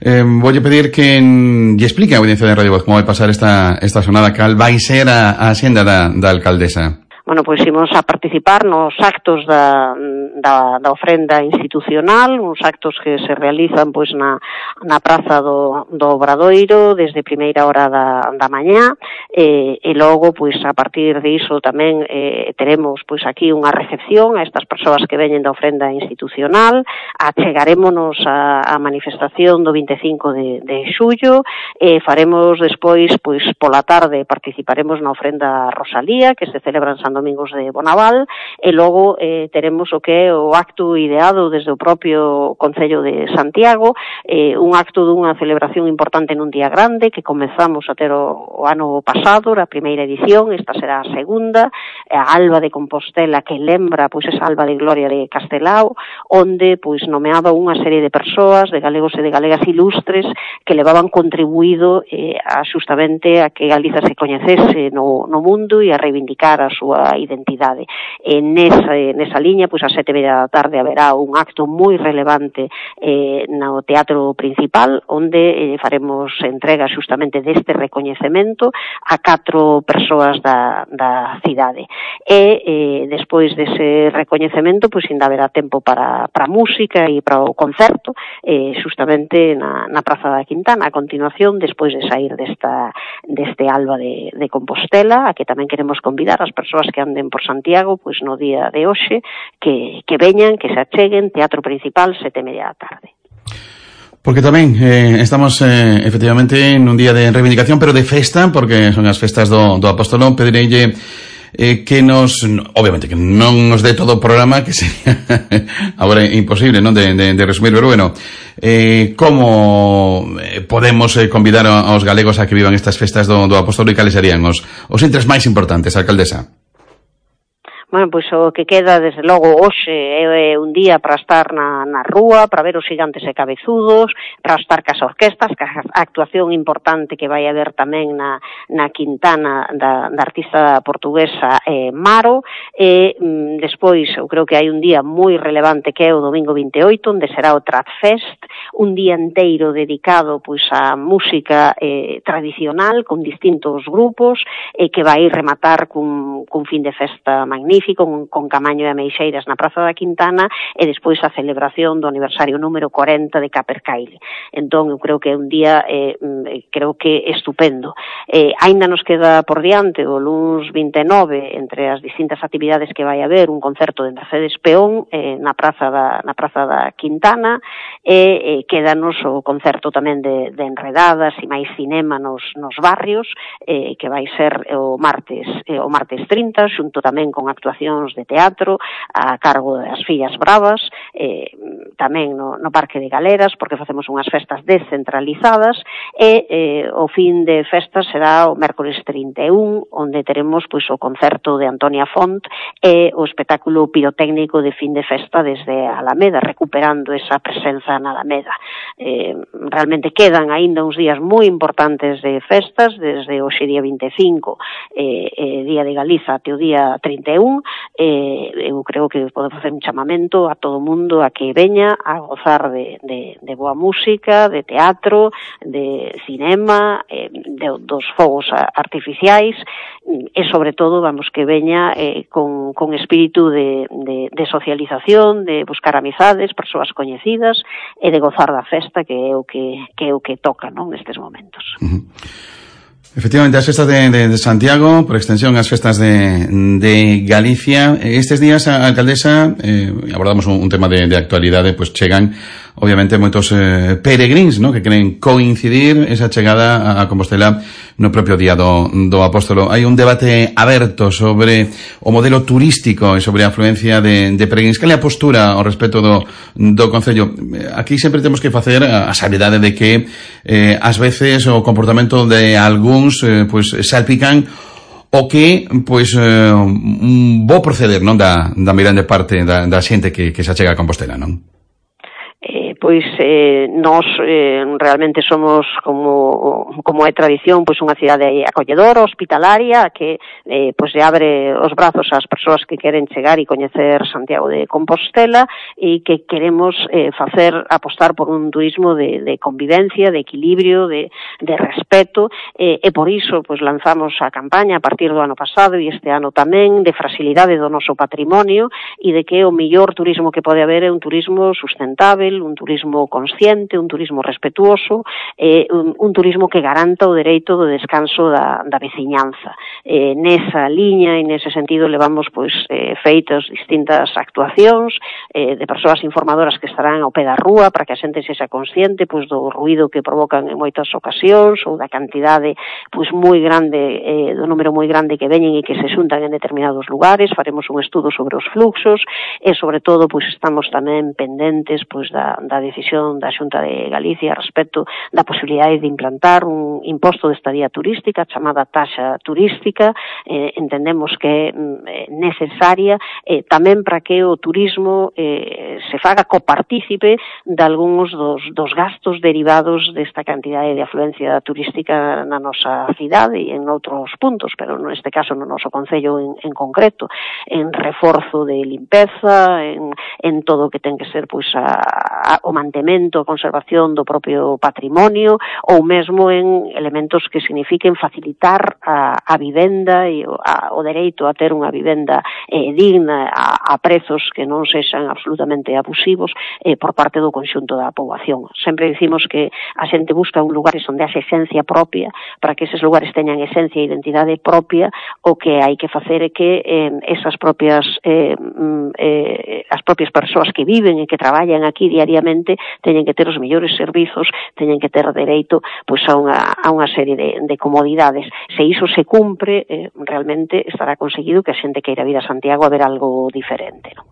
Eh, voulle pedir que lle explique a audiencia de Radio Voz como vai pasar esta, esta sonada, cal vai ser a, a xenda da, da alcaldesa. Bueno, pois imos a participar nos actos da, da, da ofrenda institucional, uns actos que se realizan pois na, na praza do, do Obradoiro desde primeira hora da, da mañá e, e logo pois a partir de iso tamén eh, teremos pois aquí unha recepción a estas persoas que veñen da ofrenda institucional, achegarémonos a, a manifestación do vinte e cinco de, de xullo e faremos despois pois pola tarde participaremos na ofrenda Rosalía que se celebra en San Domingos de Bonaval e logo eh, teremos o que é o acto ideado desde o propio Concello de Santiago, eh, un acto dunha celebración importante nun día grande que comezamos a ter o, o ano pasado, a primeira edición, esta será a segunda, a Alba de Compostela que lembra pois esa Alba de Gloria de Castelao, onde pois nomeaba unha serie de persoas, de galegos e de galegas ilustres que levaban contribuído eh, a justamente a que Galiza se coñecese no, no mundo e a reivindicar a súa identidade. E nesa, nesa liña, pois a sete e media da tarde haberá un acto moi relevante eh, no teatro principal, onde eh, faremos entrega justamente deste recoñecemento a catro persoas da, da cidade. E eh, despois dese recoñecemento, pois ainda haberá tempo para, para música e para o concerto, eh, justamente na, na Praza da Quintana, a continuación, despois de sair desta, deste Alba de, de Compostela, a que tamén queremos convidar as persoas que anden por Santiago, pois no día de hoxe, que, que veñan, que se acheguen, teatro principal, sete e media da tarde. Porque tamén eh, estamos eh, efectivamente en un día de reivindicación, pero de festa, porque son as festas do, do Apóstolo. Pedireille eh, que nos, obviamente que non nos dé todo o programa, que sería agora imposible, non, de, de, de resumir, pero bueno, eh, como podemos eh, convidar aos galegos a que vivan estas festas do, do Apóstolo e cales serían os, os intres máis importantes, alcaldesa? Bueno, pois o que queda, desde logo, hoxe é un día para estar na, na rúa, para ver os gigantes e cabezudos, para estar cas orquestas, cas actuación importante que vai haber tamén na, na Quintana da, da artista portuguesa eh, Maro, e mm, despois eu creo que hai un día moi relevante que é o domingo vinte e oito, onde será o Trad Fest, un día inteiro dedicado pois á música eh, tradicional, con distintos grupos, e que vai rematar cun, cun fin de festa magnífico, Con, con Camaño e Ameixeiras na Praza da Quintana, e despois a celebración do aniversario número corenta de Capercaille. Entón, eu creo que é un día eh, creo que estupendo. Eh, aínda nos queda por diante o luns vinte e nove, entre as distintas actividades que vai haber, un concerto de Mercedes Peón eh, na Praza da, na Praza da Quintana, e eh, quédanos o concerto tamén de, de Enredadas e máis cinema nos, nos barrios, eh, que vai ser o martes, eh, o martes trinta, xunto tamén con actuacións de teatro a cargo das Fillas Bravas, eh, tamén no, no Parque de Galeras, porque facemos unhas festas descentralizadas, e eh, o fin de festas será o mércores trinta e un, onde teremos pois o concerto de Antonia Font e o espectáculo pirotécnico de fin de festa desde Alameda, recuperando esa presenza na Alameda. Eh, realmente quedan aínda uns días moi importantes de festas, desde hoxe día vinte e cinco, eh, eh, Día de Galiza, até o día trinta e un. Eh, eu creo que podemos facer un chamamento a todo o mundo a que veña a gozar de, de, de boa música, de teatro, de cinema, eh, de, dos fogos artificiais, e sobre todo, vamos, que veña eh, con, con espírito de, de, de socialización, de buscar amizades, persoas coñecidas, e de gozar da festa, que é o que, que, é o que toca, non, nestes momentos. Uh-huh. Efectivamente, as festas de, de, de Santiago, por extensión as festas de, de Galicia. Estes días, a alcaldesa, eh, abordamos un, un tema de, de actualidade, pois pues chegan obviamente moitos eh, peregrins, ¿no?, que queren coincidir esa chegada a Compostela no propio día do, do Apóstolo. Hai un debate aberto sobre o modelo turístico e sobre a afluencia de, de peregrins. Cal é a postura ao respecto do, do Concello? Aquí sempre temos que facer a, a sabedade de que eh, ás veces o comportamento de algúns eh, pues, salpican o que, pois, eh, un bo proceder, non, da, da mirande parte da, da xente que, que se achega a Compostela, non? Eh, pois eh, nós eh, realmente somos, como como é tradición, pois unha cidade acolledora, hospitalaria, que eh, pois lle abre os brazos ás persoas que queren chegar e coñecer Santiago de Compostela, e que queremos eh, facer, apostar por un turismo de, de convivencia, de equilibrio, de, de respeto, eh, e por iso pois lanzamos a campaña a partir do ano pasado e este ano tamén, de fragilidade do noso patrimonio, e de que o mellor turismo que pode haber é un turismo sustentable, un turismo consciente, un turismo respetuoso, eh, un, un turismo que garanta o dereito do descanso da, da veciñanza. Eh, nesa liña e nese sentido levamos pois eh, feitas distintas actuacións eh, de persoas informadoras que estarán ao pé da rúa para que a xente sexa consciente pois do ruído que provocan en moitas ocasións, ou da cantidade pois moi grande, eh, do número moi grande que veñen e que se xuntan en determinados lugares. Faremos un estudo sobre os fluxos e sobre todo pois estamos tamén pendentes pois da Da, da decisión da Xunta de Galicia respecto da posibilidade de implantar un imposto de estadía turística chamada taxa turística. Eh, entendemos que é eh, necesaria eh, tamén para que o turismo eh, se faga copartícipe de algúns dos, dos gastos derivados desta cantidade de afluencia turística na nosa cidade e en outros puntos, pero neste caso no noso concello en, en concreto, en reforzo de limpeza, en, en todo o que ten que ser pois a o mantemento, a conservación do propio patrimonio, ou mesmo en elementos que signifiquen facilitar a, a vivenda e o, a, o dereito a ter unha vivenda eh, digna a, a prezos que non sexan absolutamente abusivos eh, por parte do conxunto da poboación. Sempre dicimos que a xente busca un lugares onde haxe esencia propia, para que eses lugares teñan esencia e identidade propia. O que hai que facer é que eh, esas propias eh, eh, as propias persoas que viven e que traballan aquí diariamente realmente teñen que ter os mellores servizos, teñen que ter dereito pois a unha, a unha serie de, de comodidades. Se iso se cumpre, eh, realmente estará conseguido que a xente queira vir a Santiago a ver algo diferente, non?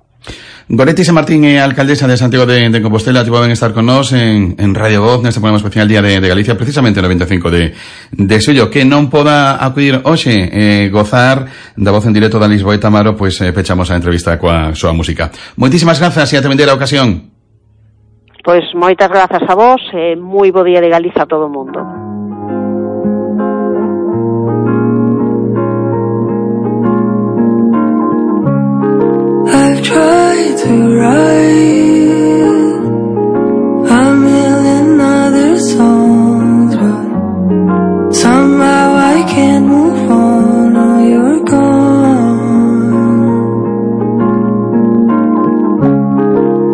Goretti San Martín, eh, alcaldesa de Santiago de, de Compostela, te poden estar con nós en, en Radio Voz neste programa especial Día de, de Galicia, precisamente no veinticinco de, de xullo. Que non poda acudir hoxe, eh, gozar da voz en directo da Lisboa Tamaro, pois eh, pechamos a entrevista coa súa música. Moitísimas grazas e ate vender a ocasión. Pois moitas grazas a vos e moi bo Día de Galicia a todo o mundo. I've tried to write a million other songs, but somehow I can't move on. Oh, you're gone.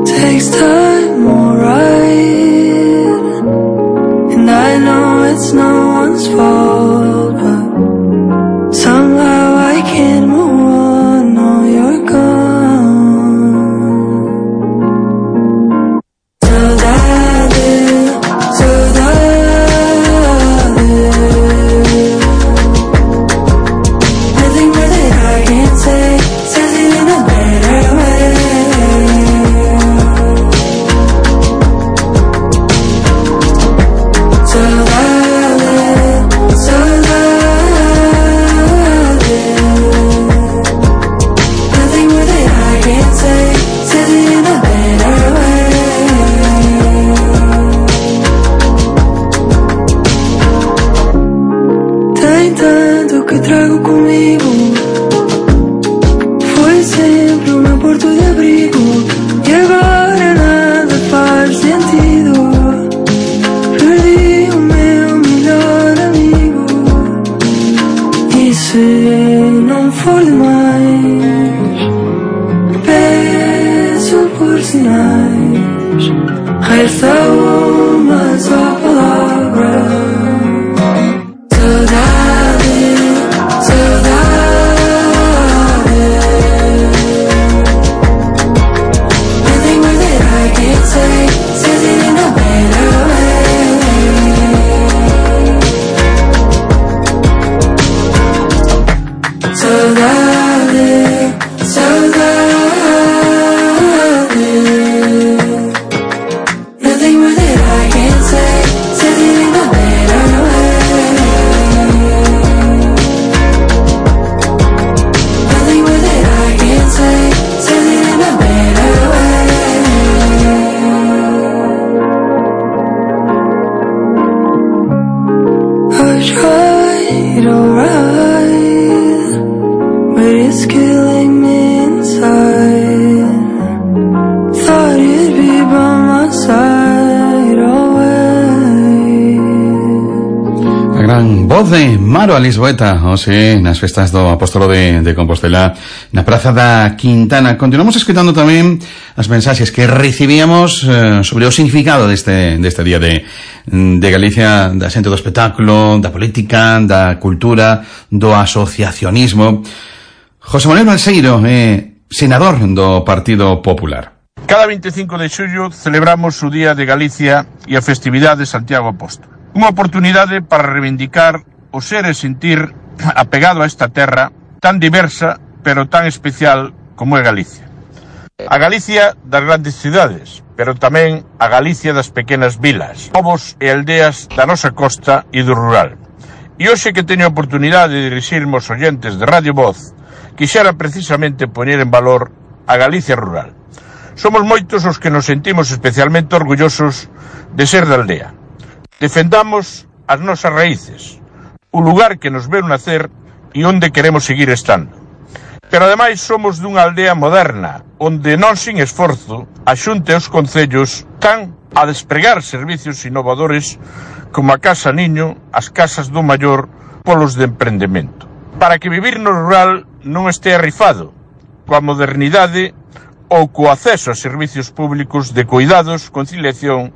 Takes time, alright, and I know it's no one's fault, but somehow I can't move on. Oh, you're gone. Maro a Lisboeta, hoxe, nas festas do Apóstolo de, de Compostela, na Praza da Quintana. Continuamos escutando tamén as mensaxes que recibíamos eh, sobre o significado deste, deste día de, de Galicia, da xente do espectáculo, da política, da cultura, do asociacionismo. José Manuel Balseiro, eh, senador do Partido Popular. Cada veinticinco de xullo celebramos o Día de Galicia e a festividade de Santiago Apóstolo. Unha oportunidade para reivindicar o ser e sentir apegado a esta terra tan diversa pero tan especial como é Galicia. A Galicia das grandes cidades, pero tamén a Galicia das pequenas vilas, povos e aldeas da nosa costa e do rural. E hoxe que teño a oportunidade de dirixirme aos oyentes de Radio Voz, quixera precisamente poñer en valor a Galicia rural. Somos moitos os que nos sentimos especialmente orgullosos de ser da aldea. Defendamos as nosas raíces, o lugar que nos veu nacer e onde queremos seguir estando. Pero ademais somos dunha aldea moderna, onde non sin esforzo a Xunta e os concellos tan a despregar servicios innovadores como a Casa Niño, as casas do maior, polos de emprendemento. Para que vivir no rural non estea rifado, coa modernidade ou co acceso a servicios públicos de cuidados, conciliación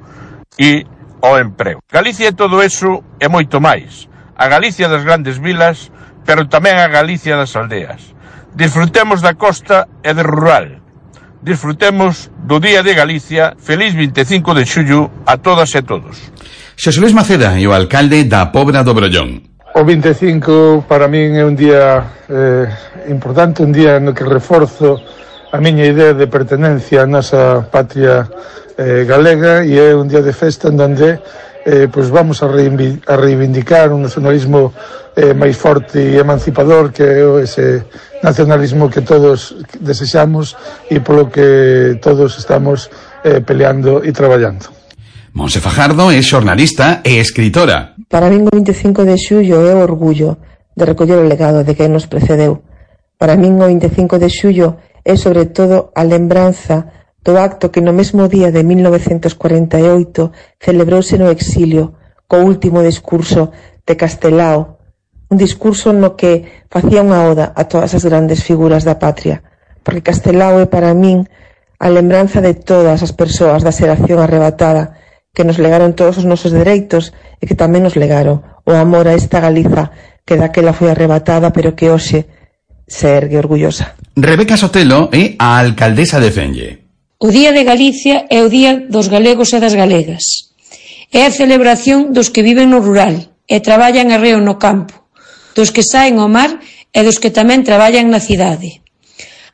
e ao emprego. Galicia é todo eso e moito máis. A Galicia das grandes vilas, pero tamén a Galicia das aldeas. Disfrutemos da costa e do rural. Disfrutemos do Día de Galicia. Feliz vinte e cinco de xullo a todas e todos. Xosé Luis Maceda e o alcalde da Pobra do Brollón. O vinte e cinco para min é un día eh, importante, un día no que reforzo a miña idea de pertenencia á nosa patria eh, galega, e é un día de festa en donde eh, pues vamos a, reivindic a reivindicar un nacionalismo eh, máis forte e emancipador, que é ese nacionalismo que todos desexamos e polo que todos estamos eh, peleando e traballando. Monse Fajardo é xornalista e escritora. Para min o vinte e cinco de xullo é o orgullo de recoller o legado de quen nos precedeu. Para min o vinte e cinco de xullo é sobre todo a lembranza do acto que no mesmo día de mil novecentos cuarenta e oito celebrouse no exilio, co último discurso de Castelao, un discurso no que facía unha oda a todas as grandes figuras da patria, porque Castelao é para min a lembranza de todas as persoas da xeración arrebatada que nos legaron todos os nosos dereitos e que tamén nos legaron o amor a esta Galiza que daquela foi arrebatada pero que hoxe se ergue orgullosa. Rebeca Sotelo é a alcaldesa de Fenlle. O Día de Galicia é o Día dos galegos e das galegas. É a celebración dos que viven no rural e traballan arreo no campo, dos que saen ao mar e dos que tamén traballan na cidade.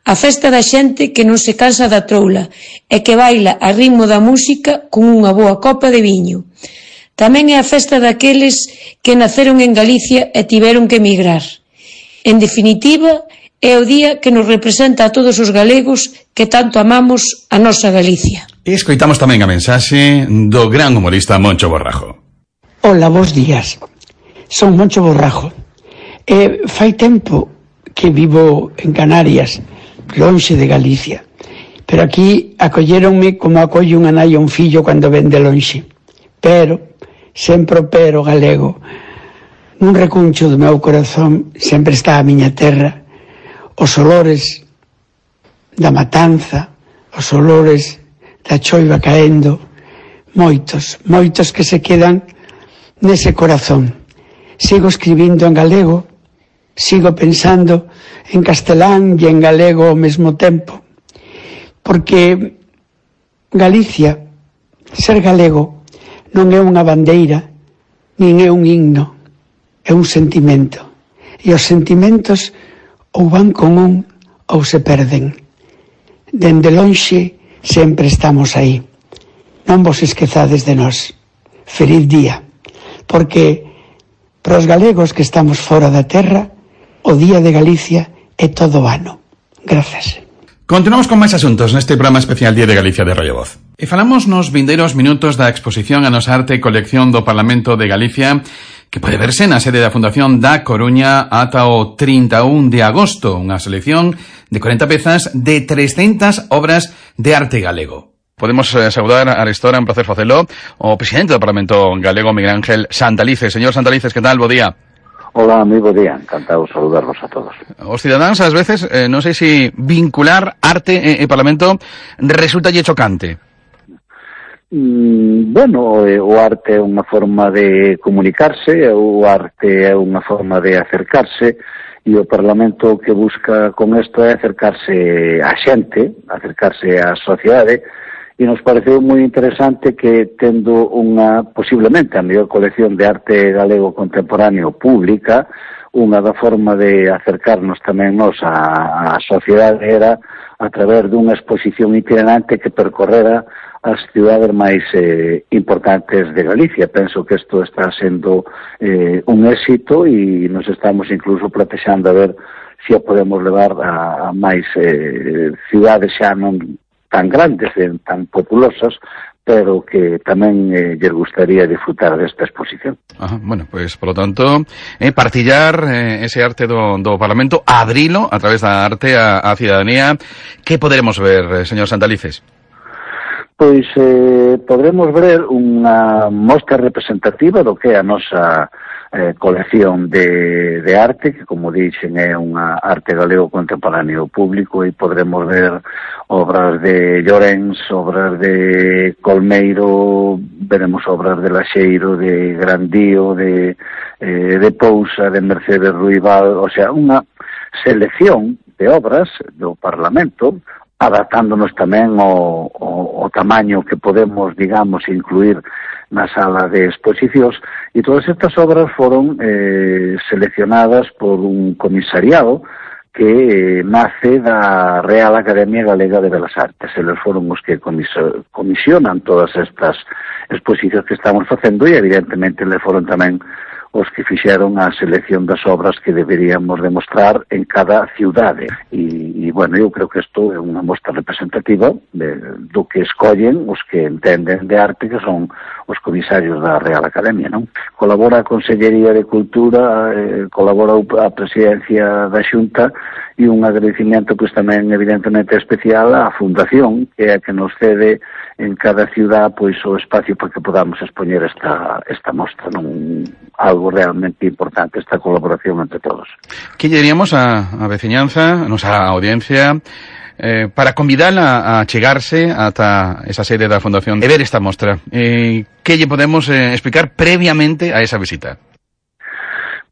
A festa da xente que non se cansa da troula e que baila a ritmo da música con unha boa copa de viño. Tamén é a festa daqueles que naceron en Galicia e tiveron que emigrar. En definitiva, é o día que nos representa a todos os galegos que tanto amamos a nosa Galicia. E escoitamos tamén a mensaxe do gran humorista Moncho Borrajo. Ola, bons días. Son Moncho Borrajo. E fai tempo que vivo en Canarias, lonxe de Galicia, pero aquí acolléronme como acolle unha nai a un fillo cando ven de lonxe. Pero, sempre o pero galego, nun recuncho do meu corazón sempre está a miña terra, os olores da matanza, os olores da choiva caendo, moitos, moitos que se quedan nese corazón. Sigo escribindo en galego, sigo pensando en castelán e en galego ao mesmo tempo, porque Galicia, ser galego, non é unha bandeira, nin é un himno, é un sentimento. E os sentimentos ou van con un ou se perden. Dende lonxe sempre estamos aí. Non vos esquezades de nós. Feliz día. Porque para os galegos que estamos fora da terra, o Día de Galicia é todo o ano. Grazas. Continuamos con máis asuntos neste programa especial Día de Galicia de Radio Voz. E falamos nos vindeiros minutos da exposición a nosa arte e colección do Parlamento de Galicia, que pode verse na sede da Fundación da Coruña ata o trinta e un de agosto, unha selección de corenta pezas de trescentas obras de arte galego. Podemos eh, saudar a Arestora, un placer facelo, o presidente do Parlamento Galego, Miguel Ángel Santalices. Señor Santalices, que tal? Bo día. Hola, moi bo día, encantado de saludarvos a todos. Os cidadáns, ás veces, eh, non sei se vincular arte e, e Parlamento resulta lle chocante. Mm, bueno, o arte é unha forma de comunicarse, o arte é unha forma de acercarse, e o Parlamento que busca con isto é acercarse á xente, acercarse á sociedade, e nos pareceu moi interesante que, tendo unha, posiblemente, a mellor colección de arte galego contemporáneo pública, unha da forma de acercarnos tamén nos á, á sociedade era a través dunha exposición itinerante que percorrera as cidades máis eh, importantes de Galicia. Penso que isto está sendo eh, un éxito e nos estamos incluso plantexando a ver se a podemos levar a, a máis eh, cidades xa non tan grandes, tan populosas, pero que tamén eh, lles gustaría disfrutar desta exposición. Ajá, bueno, pues, por lo tanto, eh, partillar eh, ese arte do, do Parlamento, abrilo a través da arte a, a cidadanía. Que poderemos ver, eh, señor Santalices? Pois eh, podremos ver unha mostra representativa do que é a nosa eh, colección de, de arte, que, como dixen, é unha arte galego contemporáneo público, e podremos ver obras de Llorens, obras de Colmeiro, veremos obras de Laxeiro, de Grandío, de, eh, de Pousa, de Mercedes Ruibal, o sea, unha selección de obras do Parlamento, adaptándonos tamén ao, ao, ao tamaño que podemos, digamos, incluir na sala de exposicións, e todas estas obras foron eh, seleccionadas por un comisariado que eh, nace da Real Academia Galega de Belas Artes. Eles foron os que comisionan todas estas exposicións que estamos facendo e, evidentemente, le foron tamén os que fixeron a selección das obras que deberíamos demostrar en cada ciudade. E, e bueno, eu creo que isto é unha mostra representativa de, do que escollen os que entenden de arte, que son os comisarios da Real Academia, non? Colabora a Consellería de Cultura, eh, colabora a Presidencia da Xunta, e un agradecimiento, pois tamén, evidentemente, especial á Fundación, que é a que nos cede en cada ciudad pois o espacio para que podamos expoñer esta, esta mostra, non? Algo realmente importante, esta colaboración entre todos. Que lle diríamos a, a veciñanza, a nosa audiencia, eh, para convidala a chegarse ata esa sede da Fundación e ver esta mostra? Eh, que lle podemos eh, explicar previamente a esa visita?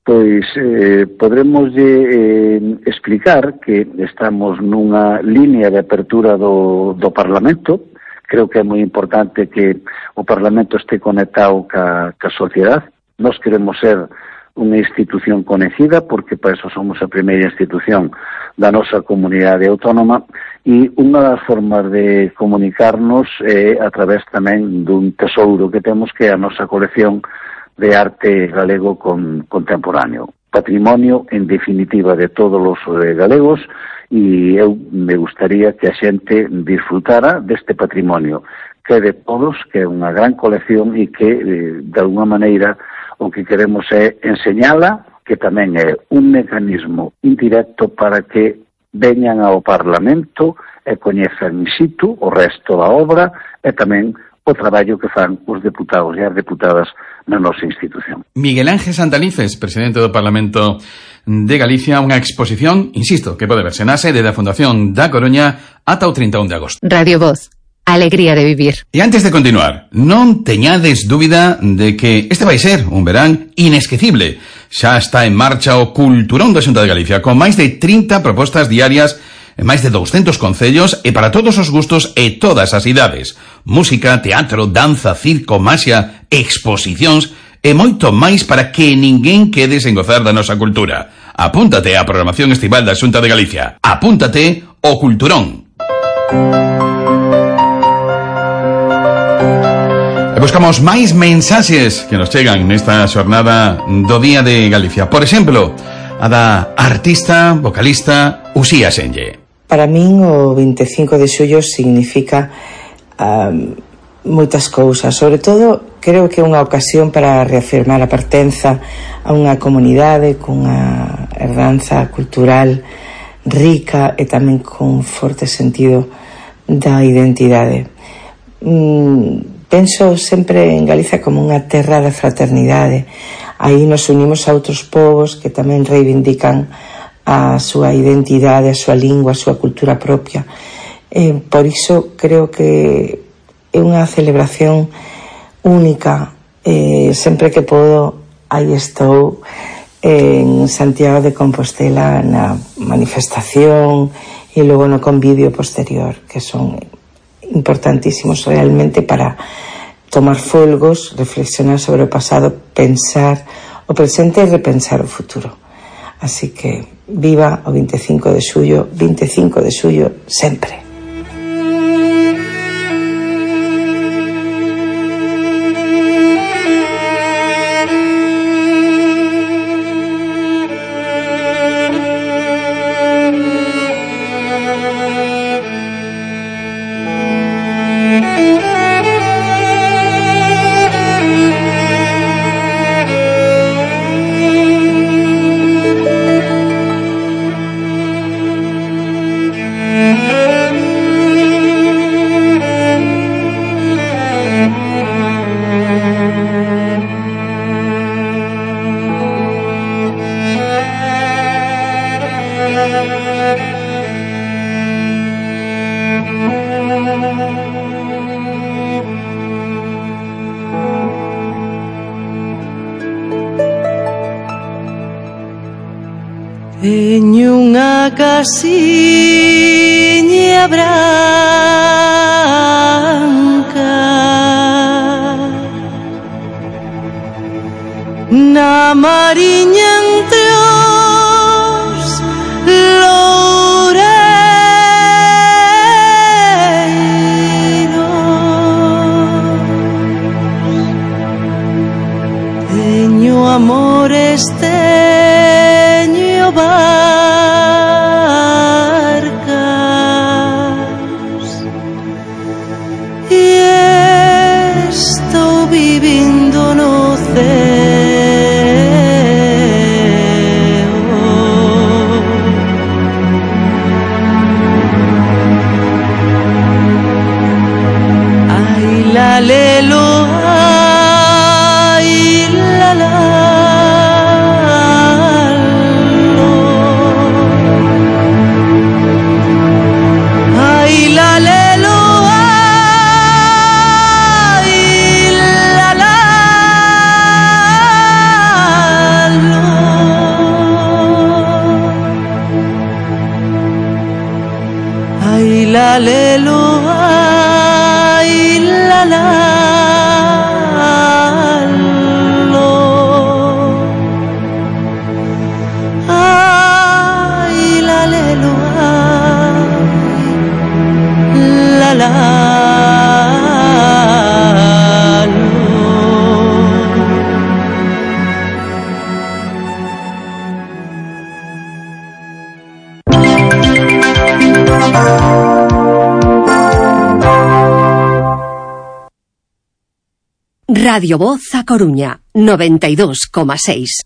Pois eh, podremos eh, explicar que estamos nunha línea de apertura do, do Parlamento. Creo que é moi importante que o Parlamento este conectado ca, ca sociedade. Nos queremos ser unha institución conhecida, porque para eso somos a primeira institución da nosa comunidade autónoma, e unha das formas de comunicarnos é a través tamén dun tesouro que temos, que é a nosa colección de arte galego con, contemporáneo. Patrimonio, en definitiva, de todos os eh, galegos, e eu me gustaría que a xente disfrutara deste patrimonio, que é de todos, que é unha gran colección e que, eh, de alguna maneira, o que queremos é enseñala, que tamén é un mecanismo indirecto para que veñan ao Parlamento e coñezan in situ o resto da obra e tamén o traballo que fan os deputados e as deputadas na nosa institución. Miguel Ángel Santalices, presidente do Parlamento de Galicia, unha exposición, insisto, que pode verse na sede da Fundación da Coruña ata o trinta e un de agosto. Radio Voz, alegría de vivir. E antes de continuar, non teñades dúbida de que este vai ser un verán inesquecible. Xa está en marcha o Culturón da Xunta de Galicia, con máis de trinta propostas diarias en máis de douscentos concellos e para todos os gustos e todas as idades. Música, teatro, danza, circo, maxia, exposicións e moito máis para que ninguén quede sen gozar da nosa cultura. Apúntate á programación estival da Xunta de Galicia. Apúntate ao Culturón. E buscamos máis mensaxes que nos chegan nesta xornada do Día de Galicia. Por exemplo, a da artista, vocalista Uxía Senlle. Para min o vinte e cinco de xullo significa um, moitas cousas. Sobre todo, creo que é unha ocasión para reafirmar a pertenza a unha comunidade cunha herdanza cultural rica e tamén con forte sentido da identidade. Mm, penso sempre en Galicia como unha terra da fraternidade. Aí nos unimos a outros povos que tamén reivindican a súa identidade, a súa lingua, a súa cultura propia. Eh, por iso creo que é unha celebración única. Eh, sempre que podo, aí estou en Santiago de Compostela na manifestación e logo no convivio posterior, que son importantísimos realmente para tomar folgos, reflexionar sobre o pasado, pensar o presente e repensar o futuro. Así que viva o vinte e cinco de xullo, vinte e cinco de xullo sempre. en unha casiña branca na mariña entre os loureiros teño amores, teño barcas e estou vivindo no ceo. Ai la lelo, ai la la. La lelo, ay, la la, lo. Ay, la lelo, ay, la la, Radio Voz a Coruña, noventa y dos coma seis.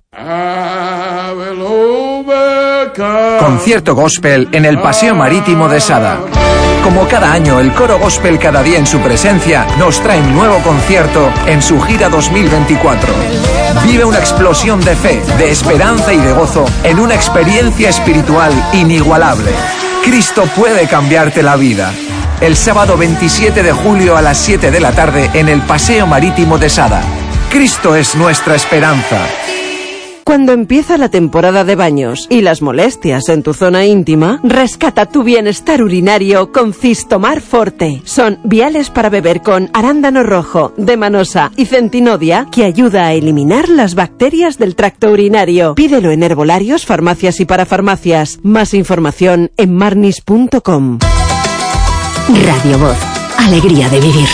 Concierto gospel en el Paseo Marítimo de Sada. Como cada año, el coro gospel Cada Día en su Presencia nos trae un nuevo concierto en su gira dos mil veinticuatro. Vive una explosión de fe, de esperanza y de gozo en una experiencia espiritual inigualable. Cristo puede cambiarte la vida. El sábado veintisiete de julio a las siete de la tarde en el Paseo Marítimo de Sada. Cristo es nuestra esperanza. Cuando empieza la temporada de baños y las molestias en tu zona íntima, rescata tu bienestar urinario con Cistomar Forte. Son viales para beber con arándano rojo, demanosa y centinodia que ayuda a eliminar las bacterias del tracto urinario. Pídelo en herbolarios, farmacias y parafarmacias. Más información en marnis punto com. Radio Voz, alegría de vivir.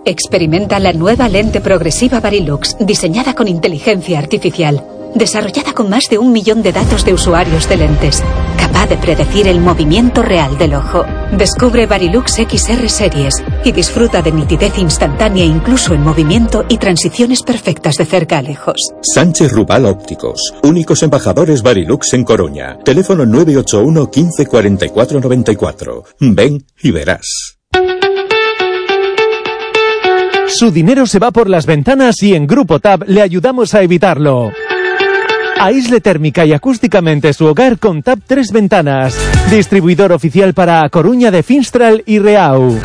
Experimenta la nueva lente progresiva Varilux, diseñada con inteligencia artificial, desarrollada con más de un millón de datos de usuarios de lentes, capaz de predecir el movimiento real del ojo. Descubre Varilux X R Series y disfruta de nitidez instantánea incluso en movimiento y transiciones perfectas de cerca a lejos. Sánchez Rubal Ópticos, únicos embajadores Varilux en Coruña. Teléfono nueve ocho uno, quince, cuarenta y cuatro, noventa y cuatro. Ven y verás. Su dinero se va por las ventanas y en Grupo Tab le ayudamos a evitarlo. Aísle térmica y acústicamente su hogar con Tab tres Ventanas, distribuidor oficial para A Coruña de Finstral y Reau.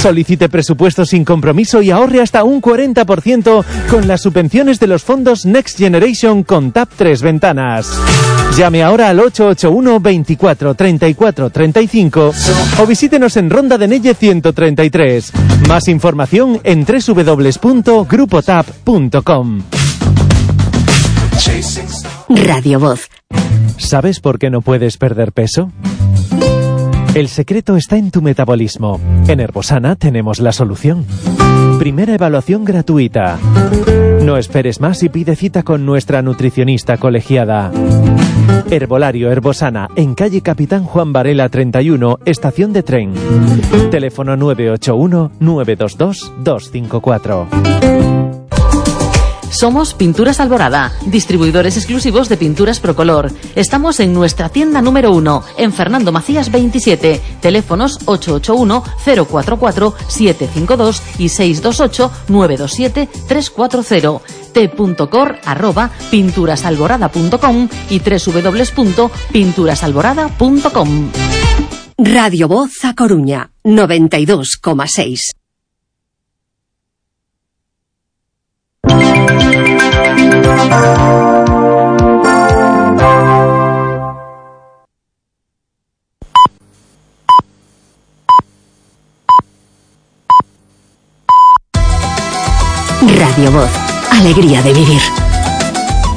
Solicite presupuesto sin compromiso y ahorre hasta un cuarenta por ciento con las subvenciones de los fondos Next Generation con Tab tres Ventanas. Llame ahora al ocho ocho uno, veinticuatro, treinta y cuatro, treinta y cinco o visítenos en Ronda de Nelle ciento treinta y tres. Más información en doble u doble u doble u punto grupo tab punto com. Radio Voz. ¿Sabes por qué no puedes perder peso? El secreto está en tu metabolismo. En Herbosana tenemos la solución. Primera evaluación gratuita. No esperes más y pide cita con nuestra nutricionista colegiada. Herbolario Herbosana, en calle Capitán Juan Varela treinta y uno, estación de tren. Teléfono nueve ocho uno, nueve dos dos, dos cinco cuatro. Somos Pinturas Alborada, distribuidores exclusivos de pinturas Procolor. Estamos en nuestra tienda número uno, en Fernando Macías veintisiete. Teléfonos ocho ocho uno, cero cuatro cuatro, siete cinco dos y seis dos ocho, nueve dos siete, tres cuatro cero. t.cor arroba pinturasalborada punto com y doble u doble u doble u punto pinturasalborada punto com. Radio Voz a Coruña, noventa y dos coma seis. Alegría de vivir.